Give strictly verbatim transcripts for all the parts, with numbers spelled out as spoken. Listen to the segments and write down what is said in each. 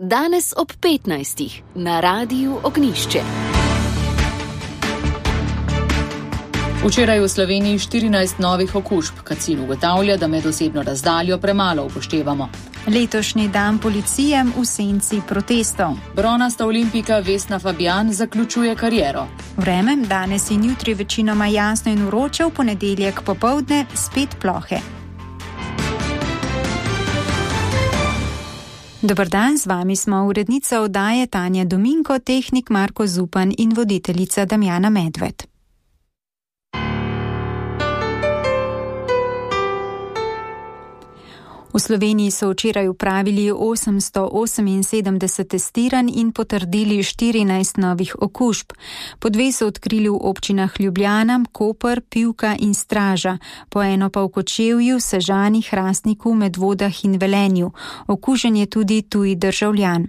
Danes ob petnajstih na Radiu Ognjišče. Včeraj v Sloveniji štirinajst novih okužb, Kacin ugotavlja, da medosebno razdaljo premalo upoštevamo. Letošnji dan policije v senci protestov. Bronasta olimpijka Vesna Fabjan zaključuje kariero. Vreme danes in jutri večinoma jasno in vroče, v ponedeljek popoldne spet plohe. Dober dan, z vami smo urednica oddaje Tanja Dominko, tehnik Marko Zupan in voditeljica Damjana Medved. V Sloveniji so včeraj upravili osemsto oseminsedemdeset testiranj in potrdili štirinajst novih okužb. Po dve so odkrili v občinah Ljubljana, Koper, Pivka in Straža, po eno pa v Kočevju, Sežani, Hrastniku, Medvodah in Velenju. Okužen je tudi tuji državljan.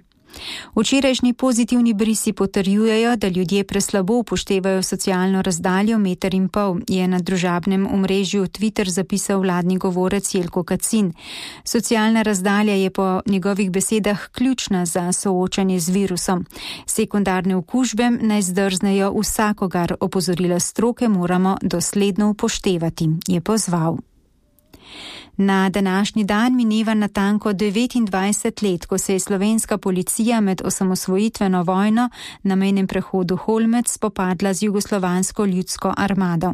Včerajšnji pozitivni brisi potrjujejo, da ljudje preslabo upoštevajo socialno razdaljo meter in pol, je na družabnem omrežju Twitter zapisal vladni govorec Jelko Kacin. Socialna razdalja je po njegovih besedah ključna za soočanje z virusom. Sekundarne okužbe naj zdrznejo vsakogar, opozorila stroke moramo dosledno upoštevati, je pozval. Na današnji dan mineva natanko devetindvajset let, ko se je slovenska policija med osamosvojitveno vojno na mejnem prehodu Holmec spopadla z jugoslovansko ljudsko armado.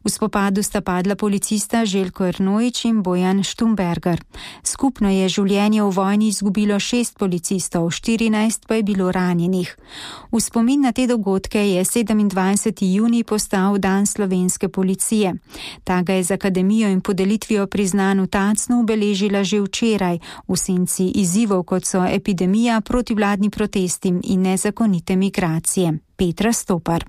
V spopadu sta padla policista Željko Ernojič in Bojan Štumberger. Skupno je življenje v vojni izgubilo šest policistov, štirinajst pa je bilo ranjenih. V spomin na te dogodke je sedemindvajseti junij postal dan slovenske policije. Ta ga je z akademijo in podelitvijo priznan v Tacnu obeležila že včeraj v senci izzivov, kot so epidemija, protivladni protesti in nezakonite migracije. Petra Stopar.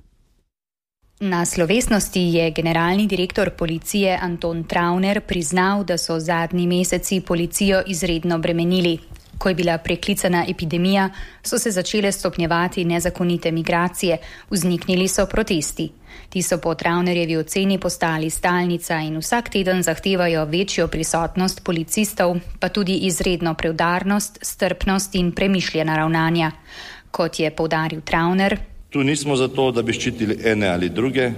Na slovesnosti je generalni direktor policije Anton Travner priznal, da so zadnji meseci policijo izredno bremenili. Ko je bila preklicana epidemija, so se začele stopnjevati nezakonite migracije, vzniknili so protesti. Ti so po Travnerjevi oceni postali stalnica in vsak teden zahtevajo večjo prisotnost policistov, pa tudi izredno preudarnost, strpnost in premišljena ravnanja. Kot je poudaril Travner, tu nismo zato, da bi ščitili ene ali druge,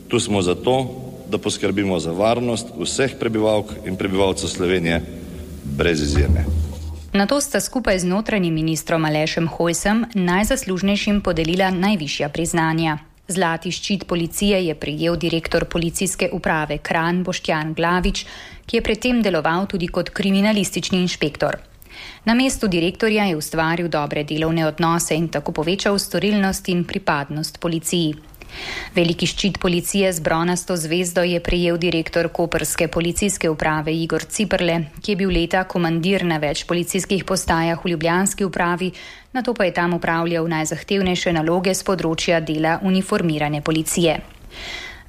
tu smo zato, da poskrbimo za varnost vseh prebivalk in prebivalcev Slovenije brez izjeme. Nato sta skupaj z notranjim ministrom Alešem Hojsem najzaslužnejšim podelila najvišja priznanja. Zlati ščit policije je prejel direktor policijske uprave Kranj Boštjan Glavič, ki je predtem deloval tudi kot kriminalistični inšpektor. Na mestu direktorja je ustvaril dobre delovne odnose in tako povečal storilnost in pripadnost policiji. Veliki ščit policije z bronasto zvezdo je prejel direktor koprske policijske uprave Igor Ciperle, ki je bil leta komandir na več policijskih postajah v ljubljanski upravi, nato pa je tam upravljal najzahtevnejše naloge z področja dela uniformirane policije.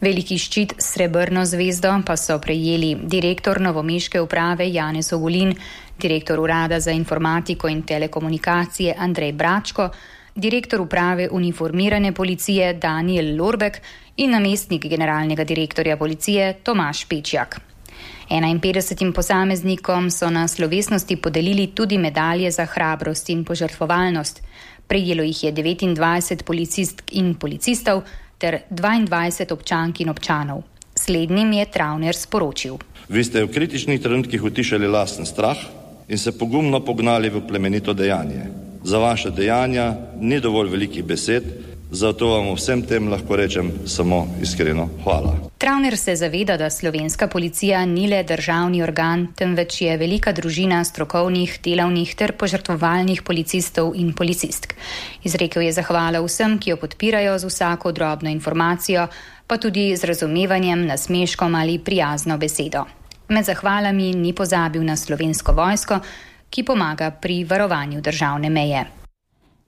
Veliki ščit s srebrno zvezdo pa so prejeli direktor novomeške uprave Janez Ogulin, direktor urada za informatiko in telekomunikacije Andrej Bračko, direktor uprave uniformirane policije Daniel Lorbek in namestnik generalnega direktorja policije Tomaž Pečjak. enainpetdesetim posameznikom so na slovesnosti podelili tudi medalje za hrabrost in požrtvovalnost. Prejelo jih je devetindvajset policistk in policistov ter dvaindvajset občank in občanov. Slednjim je Travner sporočil. Vi ste v kritičnih trenutkih utišali lasten strah in se pogumno pognali v plemenito dejanje. Za vaše dejanja ni dovolj velikih besed, zato vam vsem tem lahko rečem samo iskreno hvala. Travner se zaveda, da slovenska policija ni le državni organ, temveč je velika družina strokovnih, delavnih ter požrtvovalnih policistov in policistk. Izrekel je zahvalo vsem, ki jo podpirajo z vsako drobno informacijo, pa tudi z razumevanjem, nasmeškom ali prijazno besedo. Med zahvalami ni pozabil na slovensko vojsko, ki pomaga pri varovanju državne meje.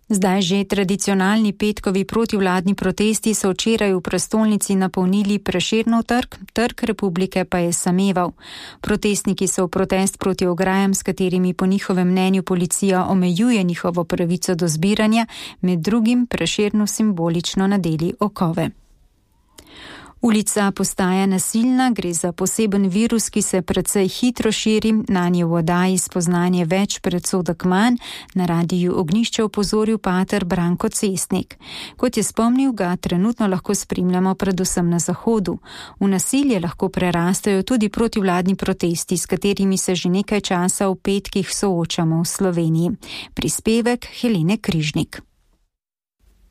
Zdaj že tradicionalni petkovi protivladni protesti so včeraj v prestolnici napolnili Prešernov trg, Trg Republike pa je sameval. Protestniki so v protest proti ograjam, s katerimi po njihovem mnenju policija omejuje njihovo pravico do zbiranja, med drugim Prešernu simbolično nadeli okove. Ulica postaja nasilna, gre za poseben virus, ki se precej hitro širi, nanje v oddaji Spoznanje več, predsodek manj, na radiju Ognjišče opozoril pater Branko Cestnik. Kot je spomnil, ga trenutno lahko spremljamo predvsem na zahodu. V nasilje lahko prerastajo tudi protivladni protesti, s katerimi se že nekaj časa v petkih soočamo v Sloveniji. Prispevek Helene Križnik.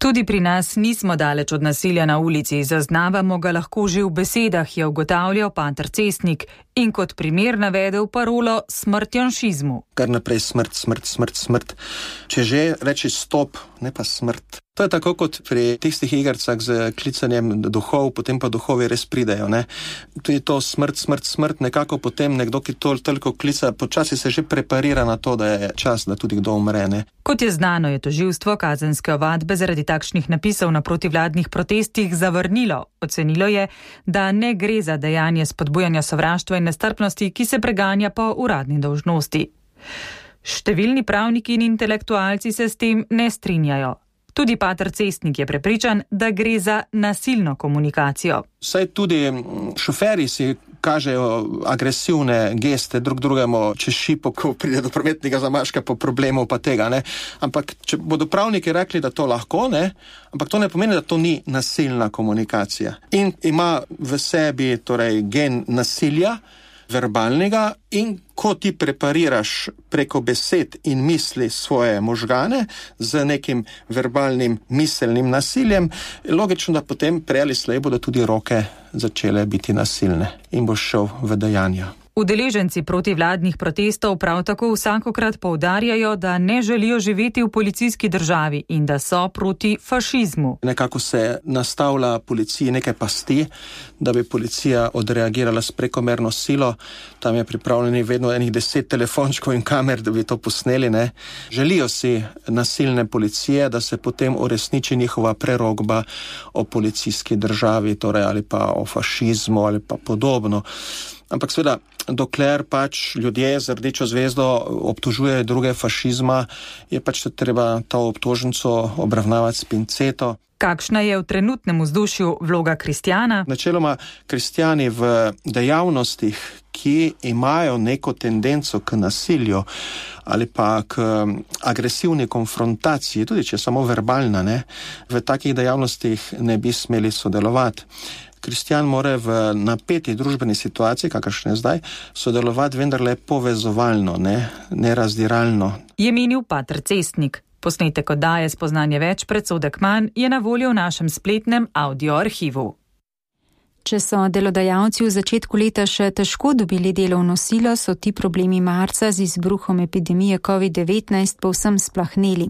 Tudi pri nas nismo daleč od nasilja na ulici, zaznavamo ga lahko že v besedah, je ugotavljal pater Cestnik in kot primer navedel parolo smrt janšizmu. Kar naprej smrt, smrt, smrt, smrt. Če že reči stop, ne pa smrt. To je tako kot pri tistih igrcah z klicanjem duhov, potem pa duhovi res pridejo. Ne? Tudi to smrt, smrt, smrt, nekako potem nekdo, ki to toliko klica, počasi se že preparira na to, da je čas, da tudi kdo umre. Ne? Kot je znano, je tožilstvo kazenske ovadbe zaradi takšnih napisov na protivladnih protestih zavrnilo. Ocenilo je, da ne gre za dejanje spodbujanja sovraštva in nestrpnosti, ki se preganja po uradni dolžnosti. Številni pravniki in intelektualci se s tem ne strinjajo. Tudi pater Cestnik je prepričan, da gre za nasilno komunikacijo. Saj tudi šoferji si kažejo agresivne geste drug drugemu čez šipo, ko pride do prometnega zamaška po problemu pa tega. Ne? Ampak če bodo pravniki rekli, da to lahko, ne? Ampak to ne pomeni, da to ni nasilna komunikacija. In ima v sebi torej gen nasilja, verbalnega, in ko ti prepariraš preko besed in misli svoje možgane z nekim verbalnim miselnim nasiljem, logično, da potem prej ali slej bodo tudi roke začele biti nasilne in boš šel v dejanja. Udeleženci protivladnih protestov prav tako vsakokrat poudarjajo, da ne želijo živeti v policijski državi in da so proti fašizmu. Nekako se nastavlja policiji nekaj pasti, da bi policija odreagirala s prekomerno silo. Tam je pripravljeni vedno enih deset telefončkov in kamer, da bi to posneli. Ne? Želijo si nasilne policije, da se potem uresniči njihova prerogba o policijski državi, torej ali pa o fašizmu ali pa podobno. Ampak seveda, dokler pač ljudje z rdečo zvezdo obtožujejo druge fašizma, je pač treba to obtožnico obravnavati s pinceto. Kakšna je v trenutnem vzdušju vloga kristjana? Načeloma kristjani v dejavnostih, ki imajo neko tendenco k nasilju ali pa k agresivni konfrontaciji, tudi če je samo verbalna, ne, v takih dejavnostih ne bi smeli sodelovati. Kristjan mora v napeti družbeni situaciji, kakršne zdaj, sodelovati vendarle povezovalno, ne, ne razdiralno. Je menil pater Cestnik. Posnetek oddaje Spoznanje več, predsodek manj je na voljo v našem spletnem audio arhivu. Če so delodajalci v začetku leta še težko dobili delovno silo, so ti problemi marca z izbruhom epidemije covid devetnajst povsem splahneli.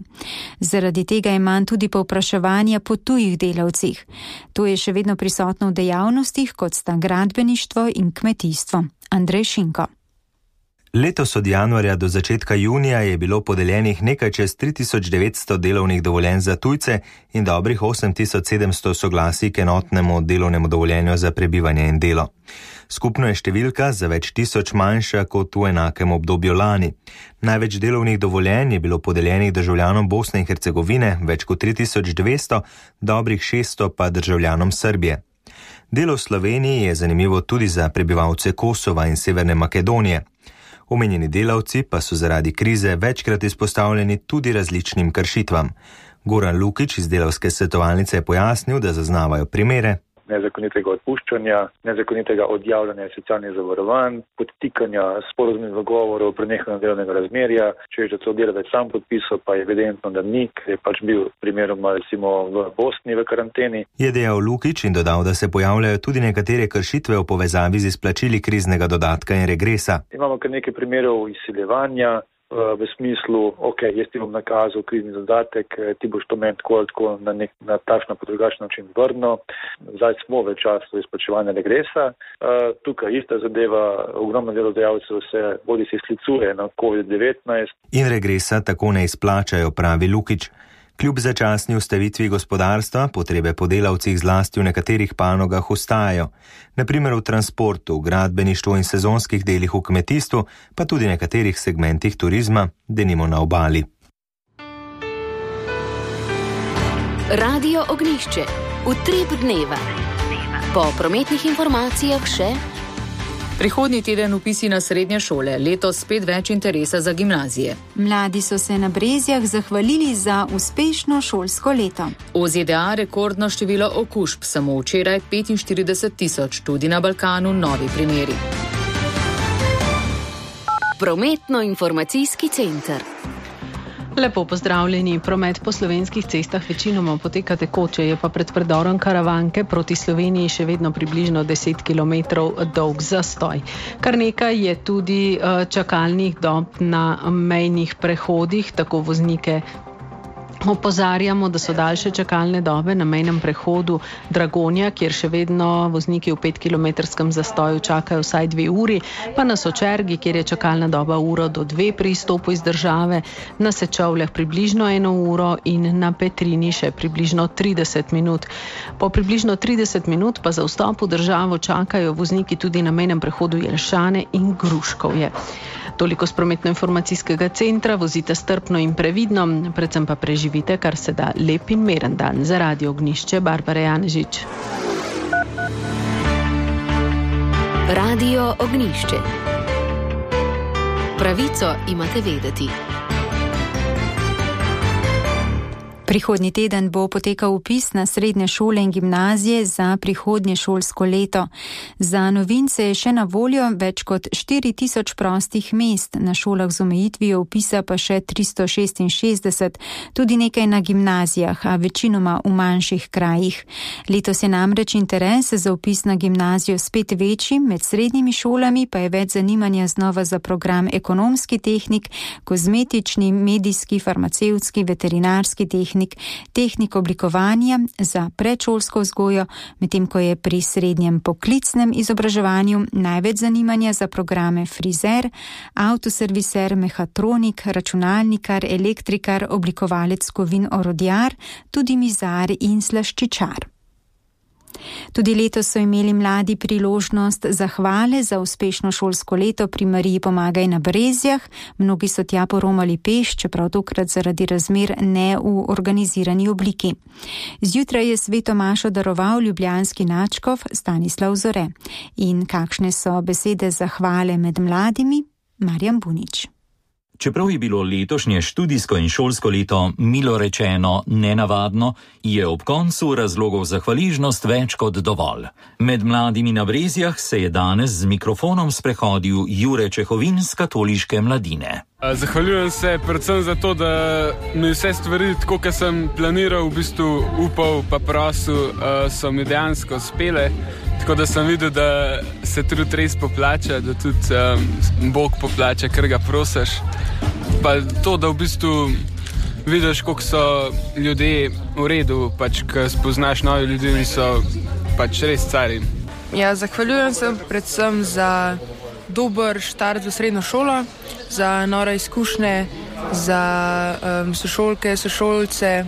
Zaradi tega je manj tudi povpraševanja po tujih delavcih. To je še vedno prisotno v dejavnostih, kot sta gradbeništvo in kmetijstvo. Andrej Šinko. Letos od januarja do začetka junija je bilo podeljenih nekaj čez tri tisoč devetsto delovnih dovoljenj za tujce in dobrih osem tisoč sedemsto soglasij k enotnemu delovnemu dovoljenju za prebivanje in delo. Skupno je številka za več tisoč manjša kot v enakem obdobju lani. Največ delovnih dovoljenj je bilo podeljenih državljanom Bosne in Hercegovine, več kot tri tisoč dvesto, dobrih šeststo pa državljanom Srbije. Delo v Sloveniji je zanimivo tudi za prebivalce Kosova in Severne Makedonije. Omenjeni delavci pa so zaradi krize večkrat izpostavljeni tudi različnim kršitvam. Goran Lukič iz delavske svetovalnice je pojasnil, da zaznavajo primere nezakonitega odpuščanja, nezakonitega odjavljanja socialnih zavarovanj, podtikanja sporazumnih dogovorov, prenehanja delovnega razmerja, če je že to delavec sam podpisal, pa je evidentno, da ni, ker je pač bil primeroma recimo v Bosni v karanteni. Je dejal Lukič in dodal, da se pojavljajo tudi nekatere kršitve v povezavi z izplačili kriznega dodatka in regresa. Imamo kar nekaj primerov izsiljevanja, v smislu, ok, jaz ti bom nakazal krizni dodatek, ti boš to meni tako, tako na, nek, na takšno pa drugačen način vrnil. Zdaj smo v času izplačevanja regresa. Uh, tukaj ista zadeva, ogromno delodajalcev se bodi se sklicuje na covid devetnajst. In regresa tako ne izplačajo, pravi Lukič. Kljub začasni ustavitvi gospodarstva, potrebe po delavcih zlasti v nekaterih panogah ostajajo. Na primer v transportu, gradbeništvu in sezonskih delih v kmetijstvu, pa tudi nekaterih segmentih turizma, denimo na obali. Radio Ognjišče. Utrip dneva. Po prometnih informacijah še. Prihodnji teden vpisi na srednje šole, letos spet več interesa za gimnazije. Mladi so se na Brezjah zahvalili za uspešno šolsko leto. V Z D A rekordno število okužb, samo včeraj petinštirideset tisoč, tudi na Balkanu novi primeri. Prometno-informacijski center. Lepo pozdravljeni. Promet po slovenskih cestah večinoma poteka tekoče, je pa pred predorom Karavanke proti Sloveniji še vedno približno deset kilometrov dolg zastoj. Kar nekaj je tudi čakalnih dob na mejnih prehodih, tako voznike opozarjamo, da so daljše čakalne dobe na mejnem prehodu Dragonja, kjer še vedno vozniki v petkilometrskem zastoju čakajo vsaj dve uri, pa na Sočergi, kjer je čakalna doba uro do dve pri izstopu iz države, na Sečovljah približno eno uro in na Petrini še približno trideset minut. Po približno trideset minut pa za vstop v državo čakajo vozniki tudi na mejnem prehodu Jelšane in Gruškovje. Toliko z prometno-informacijskega centra, vozite strpno in previdno, predvsem pa preživite kar se da lep in miren dan. Za Radio Ognišče, Barbara Janežič. Radio Ognišče. Pravico imate vedeti. Prihodnji teden bo potekal vpis na srednje šole in gimnazije za prihodnje šolsko leto. Za novince je še na voljo več kot štiri tisoč prostih mest, na šolah z omejitvijo vpisa pa še tristo šestinšestdeset, tudi nekaj na gimnazijah, a večinoma v manjših krajih. Letos je namreč interes za vpis na gimnazijo spet večji, med srednjimi šolami pa je več zanimanja znova za program ekonomski tehnik, kozmetični, medijski, farmacevtski, veterinarski tehnik, tehnik oblikovanja za predšolsko vzgojo, medtem ko je pri srednjem poklicnem izobraževanju največ zanimanja za programe frizer, avtoserviser, mehatronik, računalnikar, elektrikar, oblikovalec kovin, orodjar, tudi mizar in slaščičar. Tudi letos so imeli mladi priložnost zahvale za uspešno šolsko leto pri Mariji Pomagaj na Brezjah. Mnogi so tja poromali peš, čeprav tokrat zaradi razmer ne v organizirani obliki. Zjutraj je sveto mašo daroval ljubljanski nadškof Stanislav Zore. In kakšne so besede zahvale med mladimi? Marjan Bunič. Čeprav je bilo letošnje študijsko in šolsko leto milo rečeno nenavadno, je ob koncu razlogov za hvaležnost več kot dovolj. Med mladimi na Brezjah se je danes z mikrofonom sprehodil Jure Čehovin z katoliške mladine. Zahvaljujem se predvsem za to, da mi vse stvari, tako kot sem planiral, v bistvu upal pa prosil, so mi dejansko uspele. Tako da sem videl, da se trud res poplača, da tudi um, Bog poplača, ker ga prosiš. Pa to, da v bistvu vidiš, koliko so ljudje v redu, pač, ko spoznaš nove ljudi in so pač res cari. Ja, zahvaljujem se predvsem za dober štart v srednjo šolo, za nove izkušnje, za um, sošolke, sošolce.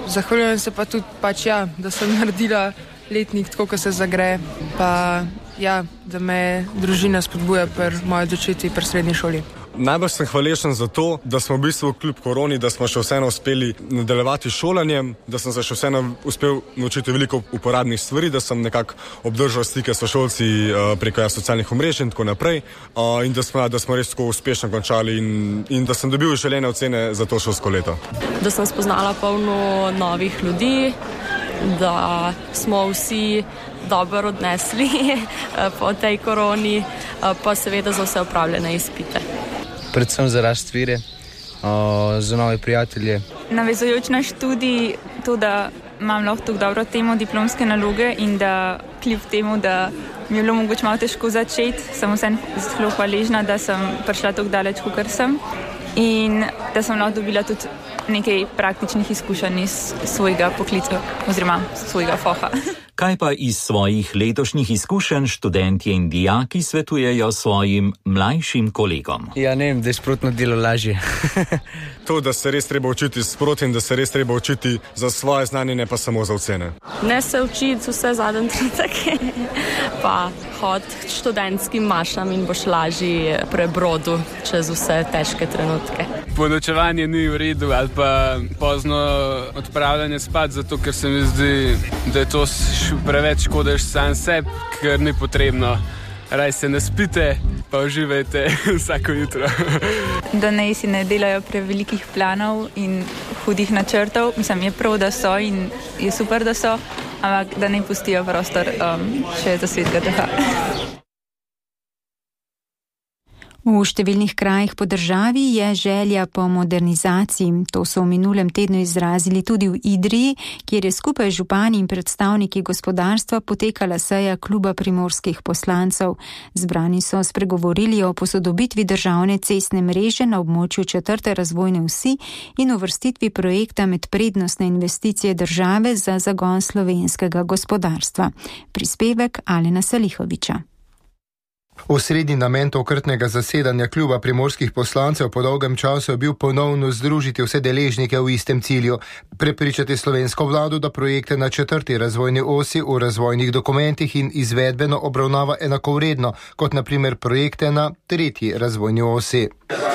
Zahvaljujem se pa tudi, pač, ja, da sem naredila letnik tako, ko se zagre, pa ja, da me družina spodbuja pri moji odločitvi pri srednji šoli. Najbolj sem hvaležen za to, da smo v bistvu kljub koroni, da smo še vseeno uspeli nadaljevati šolanjem, da sem se še vseeno uspel naučiti veliko uporabnih stvari, da sem nekako obdržal stike s sošolci preko ja, socialnih omrežij in tako naprej in da smo, da smo res tako uspešno končali in, in da sem dobil želene ocene za to šolsko leto. Da sem spoznala polno novih ljudi, da smo vsi dobro odnesli po tej koroni, pa seveda za vse opravljene izpite. Predvsem za rast vire, za nove prijatelje. Navezujoč na študij, to, da imam lahko tako dobro temo diplomske naloge in da kljub temu, da mi je bilo mogoče malo težko začeti, sem vsem zelo hvaležna, da sem prišla tako daleč, kakor sem in da sem lahko dobila tudi nekaj praktičnih izkušenj iz svojega poklica oziroma svojega foha. Kaj pa iz svojih letošnjih izkušenj študentje in dijaki svetujejo svojim mlajšim kolegom? Ja, ne vem, da je sprotno delo lažje. To, da se res treba učiti sproti in da se res treba učiti za svoje znanje, ne pa samo za ocene. Ne se učiti vse zadnje trenutke, pa hod študentskim mašam in boš lažji prebrodu čez vse težke trenutke. Ponočevanje ni v redu ali pa pozno odpravljanje spat, zato ker se mi zdi, da je to preveč škodeš sam sebi, ker ni potrebno. Raj se ne spite, pa uživajte vsako jutro. Da naj si ne delajo prevelikih planov in hudih načrtov. Mislim, je prav, da so in je super, da so, ampak da ne pustijo prostor um, še za svetega duha. V številnih krajih po državi je želja po modernizaciji. To so v minulem tednu izrazili tudi v Idriji, kjer je skupaj z župani in predstavniki gospodarstva potekala seja kluba primorskih poslancev. Zbrani so spregovorili o posodobitvi državne cestne mreže na območju četrte razvojne osi in uvrstitvi projekta med prednostne investicije države za zagon slovenskega gospodarstva. Prispevek Alena Salihoviča. Osrednji namen tokratnega zasedanja kluba primorskih poslancev po dolgem času je bil ponovno združiti vse deležnike v istem cilju, prepričati slovensko vlado, da projekte na četrti razvojni osi v razvojnih dokumentih in izvedbeno obravnava enakovredno, kot na primer projekte na tretji razvojni osi.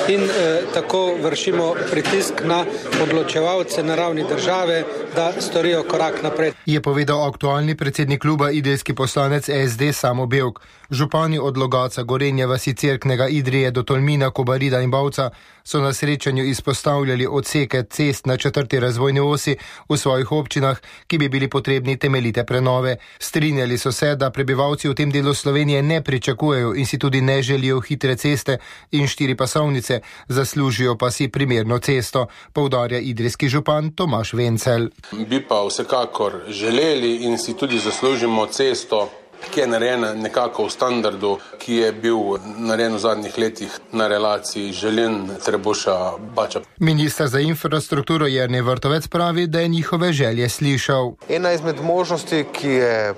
In eh, tako vršimo pritisk na odločevalce na ravni države, da storijo korak naprej. Je povedal aktualni predsednik kluba idrijski poslanec S D Samo Bevk. Župani od Logatca, Gorenja, vasi Cerknega, Idrije do Tolmina, Kobarida in Bavca so na srečanju izpostavljali odseke cest na četrti razvojni osi v svojih občinah, ki bi bili potrebni temeljite prenove. Strinjali so se, da prebivalci v tem delu Slovenije ne pričakujejo in si tudi ne želijo hitre ceste in štiri pasovnice, zaslužijo pa si primerno cesto, poudarja idrijski župan Tomaž Vencel. Bi pa vsekakor želeli in si tudi zaslužimo cesto, ki je narejena nekako v standardu, ki je bil narejen v zadnjih letih na relaciji Želin-Trebuša-Bača. Minister za infrastrukturo Jernej Vrtovec pravi, da je njihove želje slišal. Ena izmed možnosti, ki je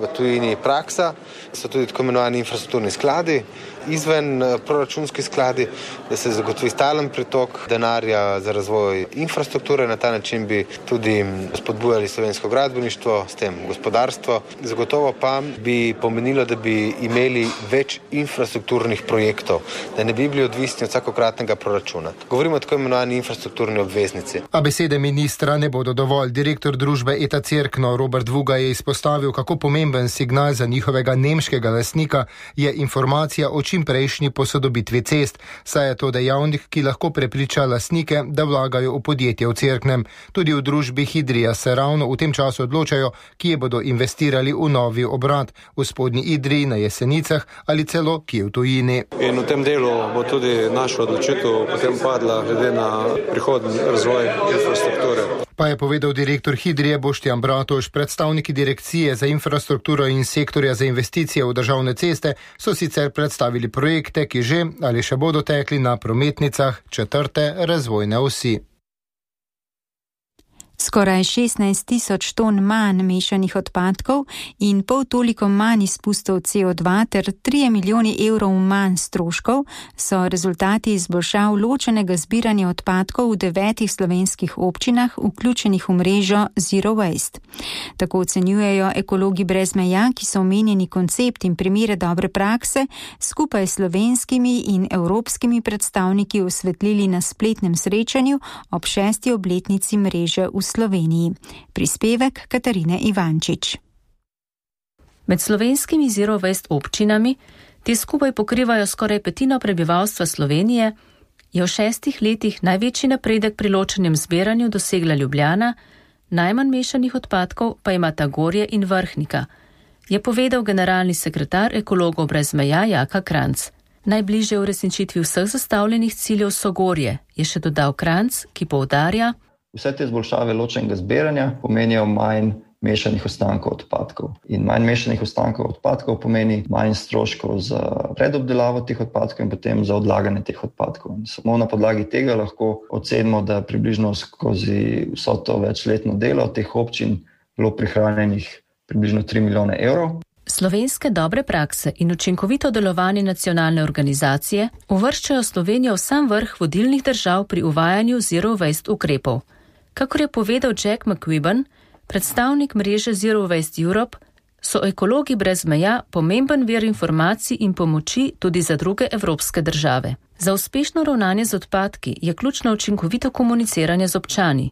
v tujini praksa, so tudi tako imenovani infrastrukturni skladi, izven proračunski skladi, da se zagotovi stalen pretok denarja za razvoj infrastrukture. Na ta način bi tudi spodbujali slovensko gradbeništvo, s tem gospodarstvo. Zagotovo pa bi pomenilo, da bi imeli več infrastrukturnih projektov, da ne bi bili odvisni od vsakokratnega proračuna. Govorimo o tako imenovani infrastrukturni obveznici. A besede ministra ne bodo dovolj. Direktor družbe Eta Cerkno Robert Vuga je izpostavil, kako pomemben signal za njihovega nemškega lastnika je informacija o čim prejšnji posodobitvi cest, saj je to dejavnik, ki lahko prepriča lastnike, da vlagajo v podjetje v Cerknem. Tudi v družbi Hidrija se ravno v tem času odločajo, kje bodo investirali v novi obrat, v spodnji Idriji, na Jesenicah ali celo kje v tujini. In v tem delu bo tudi naša odločitev potem padla glede na prihodnji razvoj infrastrukture. Pa je povedal direktor Hidrije Boštjan Bratoš. Predstavniki direkcije za infrastrukturo in sektorja za investicije v državne ceste so sicer predstavili projekte, ki že ali še bodo tekli na prometnicah četrte razvojne osi. Skoraj šestnajst tisoč ton manj mešanih odpadkov in pol toliko manj izpustov C O dva ter tri milijoni evrov manj stroškov so rezultati izboljšav ločenega zbiranja odpadkov v devetih slovenskih občinah, vključenih v mrežo Zero Waste. Tako ocenjujejo ekologi brez meja, ki so omenjeni koncept in primere dobre prakse skupaj s slovenskimi in evropskimi predstavniki osvetlili na spletnem srečanju ob šesti obletnici mreže v Sloveniji. Prispevek Katarine Ivančič. Med slovenskimi Zero Waste občinami, te skupaj pokrivajo skoraj petino prebivalstva Slovenije, je v šestih letih največji napredek pri ločenem zbiranju dosegla Ljubljana, najmanj mešanih odpadkov pa imata Gorje in Vrhnika, je povedal generalni sekretar Ekologov brez meja Jaka Kranc. Najbližje v resničitvi vseh zastavljenih ciljev so Gorje, je še dodal Kranc, ki poudarja: Vse te izboljšave ločenega zbiranja pomenijo manj mešanih ostankov odpadkov. In manj mešanih ostankov odpadkov pomeni manj stroškov za predobdelavo teh odpadkov in potem za odlaganje teh odpadkov. In samo na podlagi tega lahko ocenimo, da približno skozi vso to večletno delo teh občin bilo prihranjenih približno tri milijone evrov. Slovenske dobre prakse in učinkovito delovanje nacionalne organizacije uvrščajo Slovenijo v sam vrh vodilnih držav pri uvajanju Zero Waste ukrepov. Kakor je povedal Jack McQuibben, predstavnik mreže Zero Waste Europe, so ekologi brez meja pomemben vir informacij in pomoči tudi za druge evropske države. Za uspešno ravnanje z odpadki je ključno učinkovito komuniciranje z občani.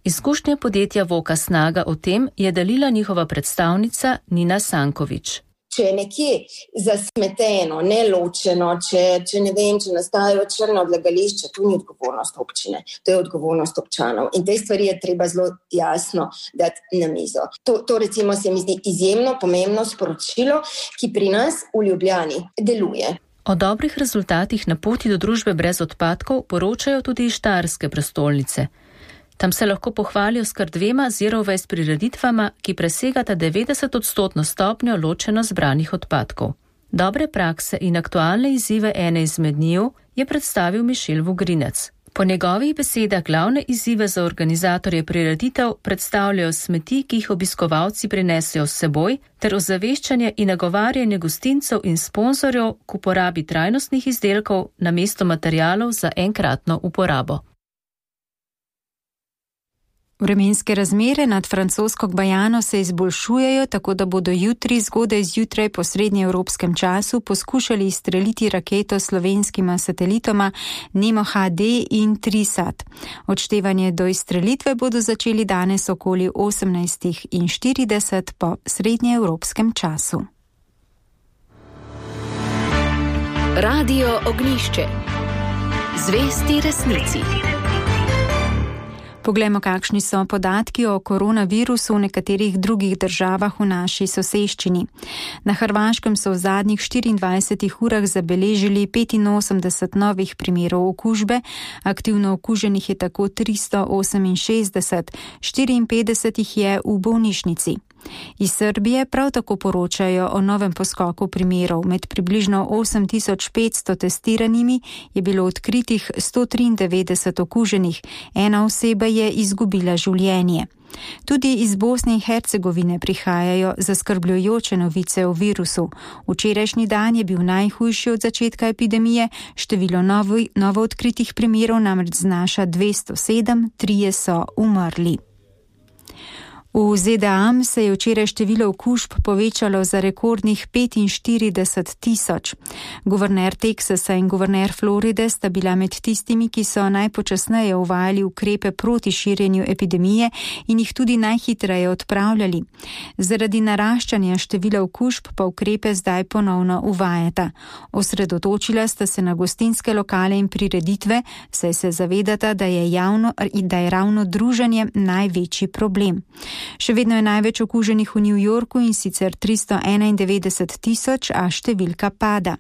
Izkušnje podjetja Voka Snaga o tem je delila njihova predstavnica Nina Sankovič. Če je nekje zasmeteno, neločeno, če, če ne vem, če nastajajo črna odlagališča, to ni odgovornost občine, to je odgovornost občanov. In te stvari je treba zelo jasno dati na mizo. To, to recimo se mi zdi izjemno pomembno sporočilo, ki pri nas v Ljubljani deluje. O dobrih rezultatih na poti do družbe brez odpadkov poročajo tudi iz Štajerske prestolnice. Tam se lahko pohvalijo s kar dvema zero waste prireditvama, ki presegata devetdeset odstotno stopnjo ločeno zbranih odpadkov. Dobre prakse in aktualne izzive ene izmed njiju je predstavil Mišel Vugrinec. Po njegovih besedah glavne izzive za organizatorje prireditev predstavljajo smeti, ki jih obiskovalci prinesejo s seboj, ter ozaveščanje in nagovarjanje gostincev in sponzorjev k uporabi trajnostnih izdelkov namesto materialov za enkratno uporabo. Vremenske razmere nad francosko Gvajano se izboljšujejo, tako da bodo jutri zgodaj zjutraj po srednjeevropskem času poskušali izstreliti raketo s slovenskima satelitoma Nemo H D in Trisat. Odštevanje do izstrelitve bodo začeli danes okoli osemnajst štirideset po srednjeevropskem času. Radio Ognjišče. Zvesti resnici. Poglejmo, kakšni so podatki o koronavirusu v nekaterih drugih državah v naši soseščini. Na Hrvaškem so v zadnjih štiriindvajsetih urah zabeležili petinosemdeset novih primerov okužbe, aktivno okuženih je tako tristo oseminšestdeset, štiriinpetdeset jih je v bolnišnici. Iz Srbije prav tako poročajo o novem poskoku primerov. Med približno osem tisoč petsto testiranimi je bilo odkritih sto triindevetdeset okuženih, ena oseba je izgubila življenje. Tudi iz Bosne in Hercegovine prihajajo zaskrbljujoče novice o virusu. Včerajšnji dan je bil najhujši od začetka epidemije, število novo, novo odkritih primerov namreč znaša dvesto sedem, trije so umrli. V Z D A se je včeraj število okužb povečalo za rekordnih petinštirideset tisoč. Guverner Teksasa in guverner Floride sta bila med tistimi, ki so najpočasneje uvajali ukrepe proti širjenju epidemije in jih tudi najhitreje odpravljali. Zaradi naraščanja števila okužb pa ukrepe zdaj ponovno uvajata. Osredotočila sta se na gostinske lokale in prireditve, saj se zavedata, da je, javno, da je ravno druženje največji problem. Še vedno je največ okuženih v New Yorku in sicer tristo enaindevetdeset tisoč, a številka pada.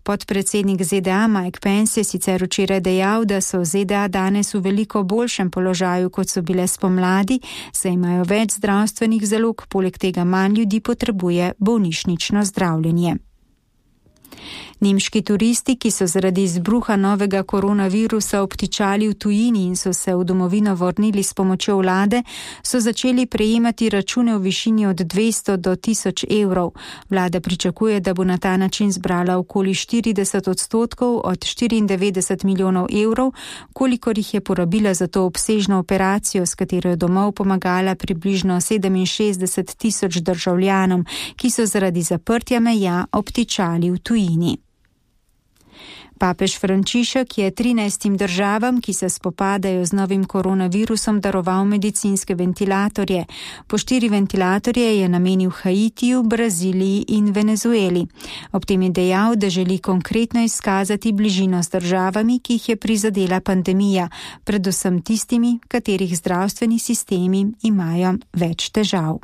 Podpredsednik Z D A Mike Pence je sicer včeraj dejal, da so Z D A danes v veliko boljšem položaju, kot so bile spomladi, saj imajo več zdravstvenih zalog, poleg tega manj ljudi potrebuje bolnišnično zdravljenje. Nemški turisti, ki so zaradi izbruha novega koronavirusa obtičali v tujini in so se v domovino vrnili s pomočjo vlade, so začeli prejemati račune v višini od dvesto do tisoč evrov. Vlada pričakuje, da bo na ta način zbrala okoli štirideset odstotkov od štiriindevetdeset milijonov evrov, kolikor jih je porabila za to obsežno operacijo, s katero je domov pomagala približno sedeminšestdeset tisoč državljanom, ki so zaradi zaprtja meja obtičali v tujini. Papež Frančišek je trinajstim državam, ki se spopadajo z novim koronavirusom, daroval medicinske ventilatorje. Po štiri ventilatorje je namenil Haitiju, Braziliji in Venezueli. Ob tem je dejal, da želi konkretno izkazati bližino s državami, ki jih je prizadela pandemija, predvsem tistimi, katerih zdravstveni sistemi imajo več težav.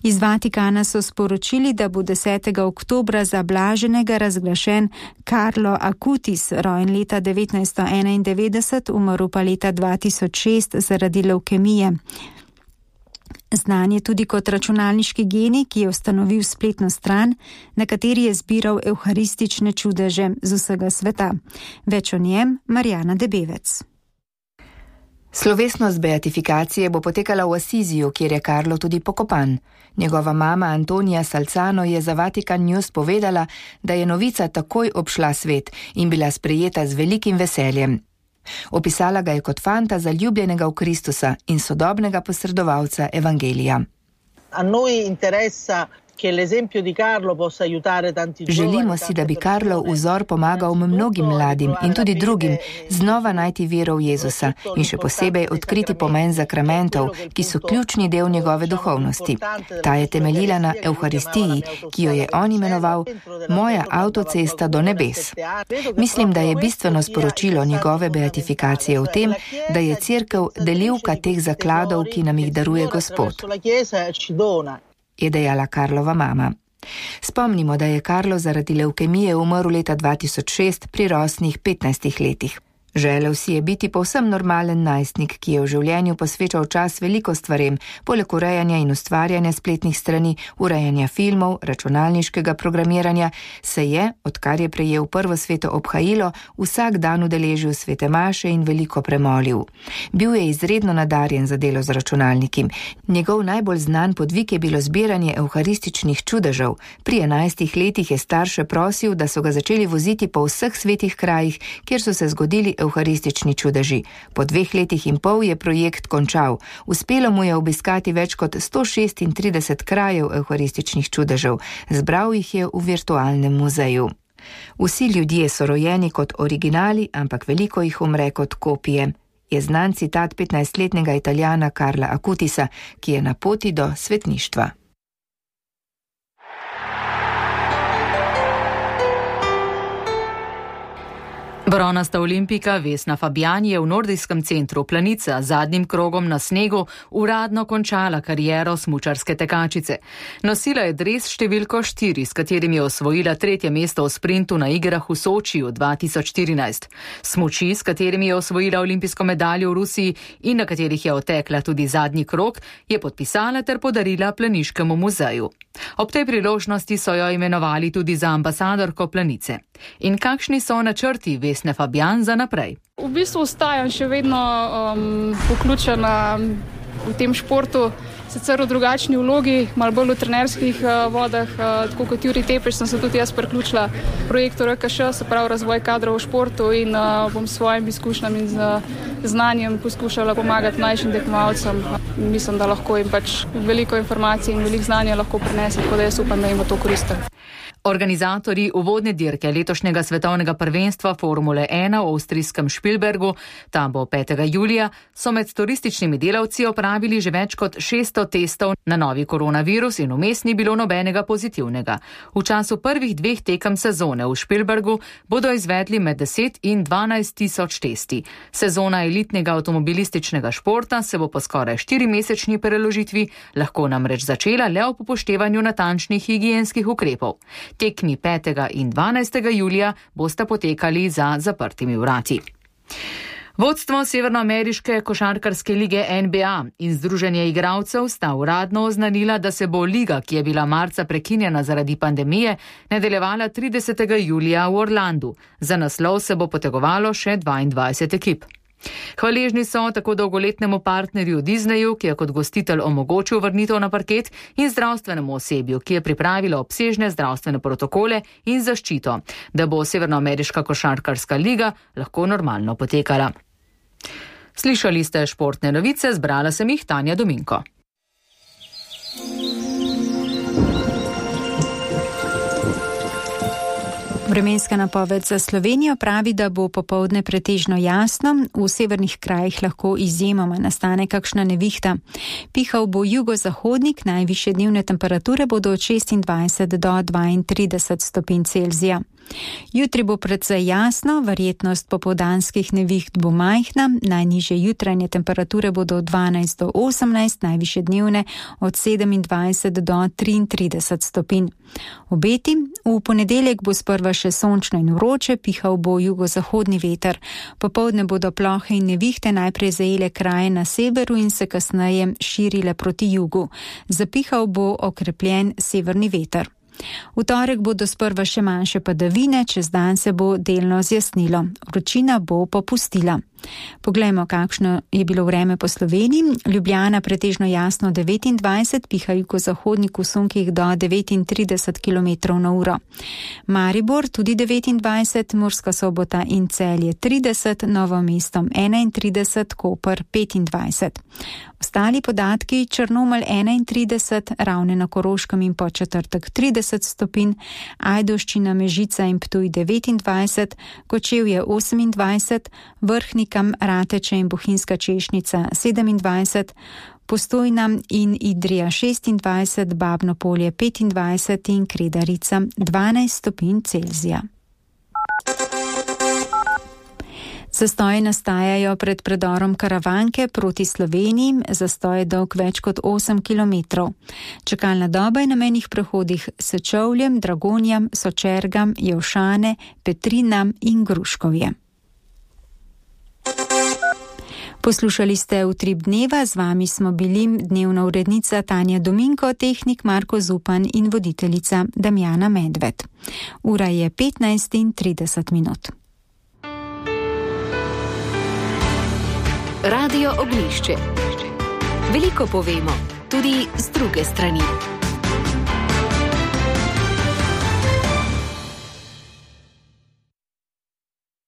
Iz Vatikana so sporočili, da bo desetega oktobra za blaženega razglašen Carlo Acutis, rojen leta devetnajststo enaindevetdeset, umrl pa leta dva tisoč šest zaradi levkemije. Znan je tudi kot računalniški genij, ki je ustanovil spletno stran, na kateri je zbiral evharistične čudeže z vsega sveta. Več o njem Marjana Debevec. Slovesnost beatifikacije bo potekala v Asiziju, kjer je Karlo tudi pokopan. Njegova mama Antonija Salcano je za Vatikan News povedala, da je novica takoj obšla svet in bila sprejeta z velikim veseljem. Opisala ga je kot fanta zaljubljenega v Kristusa in sodobnega posredovalca evangelija. A noi interessa Želimo si, da bi Karlov vzor pomagal mnogim mladim in tudi drugim znova najti vero v Jezusa in še posebej odkriti pomen zakramentov, ki so ključni del njegove duhovnosti. Ta je temeljila na Evharistiji, ki jo je on imenoval Moja avtocesta do nebes. Mislim, da je bistveno sporočilo njegove beatifikacije v tem, da je cerkev delivka teh zakladov, ki nam jih daruje Gospod, je dejala Karlova mama. Spomnimo, da je Karlo zaradi levkemije umrl leta dva tisoč šest pri rosnih petnajstih letih. Želel si je biti povsem normalen najstnik, ki je v življenju posvečal čas veliko stvarem, poleg urejanja in ustvarjanja spletnih strani, urejanja filmov, računalniškega programiranja, se je, odkar je prejel prvo sveto obhajilo, vsak dan udeležil svete maše in veliko premolil. Bil je izredno nadarjen za delo z računalnikom. Njegov najbolj znan podvig je bilo zbiranje evharističnih čudežev. Pri enajstih letih je starše prosil, da so ga začeli voziti po vseh svetih krajih, kjer so se zgodili evharistični čudeži. Po dveh letih in pol je projekt končal. Uspelo mu je obiskati več kot sto šestintrideset krajev evharističnih čudežev. Zbral jih je v virtualnem muzeju. Vsi ljudje so rojeni kot originali, ampak veliko jih umre kot kopije, je znan citat petnajstletnega Italijana Carla Acutisa, ki je na poti do svetništva. Bronasta olimpika Vesna Fabjan je v nordijskem centru Planica z zadnjim krogom na snegu uradno končala kariero smučarske tekačice. Nosila je dres številko štiri, s katerim je osvojila tretje mesto v sprintu na igrah v Sočiju dva tisoč štirinajst. Smuči, s katerimi je osvojila olimpijsko medaljo v Rusiji in na katerih je otekla tudi zadnji krog, je podpisala ter podarila Planiškemu muzeju. Ob tej priložnosti so jo imenovali tudi za ambasadorko Planice. In kakšni so načrti Vesne Fabjan za naprej? V bistvu ostajam še vedno um, vključena v tem športu, sicer v drugačni vlogi, malo bolj v trenerskih uh, vodah, uh, tako kot Jurij Tepeš sem se tudi jaz priključila projektu R K Š, se pravi razvoj kadrov v športu in uh, bom s svojim izkušnjam in z znanjem poskušala pomagati mlajšim tekmovalcem. Mislim, da lahko jim pač veliko informacij in veliko znanja lahko prinese, tako da jaz upam, da jim bo to koristilo. Organizatorji uvodne dirke letošnjega svetovnega prvenstva Formule ena v avstrijskem Špilbergu, tam bo petega julija, so med turističnimi delavci opravili že več kot šeststo testov na novi koronavirus in vmes ni bilo nobenega pozitivnega. V času prvih dveh tekem sezone v Špilbergu bodo izvedli med deset in dvanajst tisoč testi. Sezona elitnega avtomobilističnega športa se bo po skoraj štirimesečni preložitvi lahko namreč začela le ob upoštevanju natančnih higienskih ukrepov. Tekmi petega in dvanajstega julija bosta potekali za zaprtimi vrati. Vodstvo Severnoameriške košarkarske lige N B A in Združenje igralcev sta uradno oznanila, da se bo liga, ki je bila marca prekinjena zaradi pandemije, nadaljevala tridesetega julija v Orlandu. Za naslov se bo potegovalo še dvaindvajset ekip. Hvaležni so tako dolgoletnemu partnerju Disneyu, ki je kot gostitelj omogočil vrnitev na parket, in zdravstvenemu osebju, ki je pripravilo obsežne zdravstvene protokole in zaščito, da bo Severnoameriška košarkarska liga lahko normalno potekala. Slišali ste športne novice, zbrala sem jih Tanja Dominko. Vremenska napoved za Slovenijo pravi, da bo popoldne pretežno jasno, v severnih krajih lahko izjemoma nastane kakšna nevihta. Pihal bo jugozahodnik, najvišje dnevne temperature bodo od šestindvajset do dvaintrideset stopinj Celzija. Jutri bo precej jasno, verjetnost popoldanskih neviht bo majhna, najnižje jutranje temperature bodo od dvanajst do osemnajst, najvišje dnevne od sedemindvajset do triintrideset stopinj. Obeti, v ponedeljek bo sprva še sončno in vroče, pihal bo jugozahodni veter. Popoldne bodo plohe in nevihte najprej zajele kraje na severu in se kasneje širile proti jugu. Zapihal bo okrepljen severni veter. V torek bodo sprva še manjše padavine, čez dan se bo delno zjasnilo. Vročina bo popustila. Poglejmo, kakšno je bilo vreme po Sloveniji. Ljubljana pretežno jasno devetindvajset, piha jugozahodnik v sunkih do devetintrideset kilometrov na uro. Maribor tudi devetindvajset, Murska Sobota in Celje trideset, Novo mesto enaintrideset, Koper petindvajset. Ostali podatki: Črnomelj enaintrideset, Ravne na Koroškem in Podčetrtek trideset stopinj, Ajdovščina, Mežica in Ptuj devetindvajset, Kočevje osemindvajset, Vrhnikam, Rateče in Bohinjska Češnica sedemindvajset, Postojna in Idrija šestindvajset, Babno Polje petindvajset in Kredarica dvanajst stopinj Celzija. Zastoji nastajajo pred predorom Karavanke proti Sloveniji, zastoj je dolg več kot osem kilometrov. Čakalna doba je na mejnih prehodih Sečovljem, Dragonjam, Sočergam, Jevšane, Petrinam in Gruškovje. Poslušali ste Utrip dneva, z vami smo bili dnevna urednica Tanja Dominko, tehnik Marko Zupan in voditeljica Damjana Medved. Ura je petnajst in trideset minut. Radio Ognjišče. Veliko povemo, tudi z druge strani.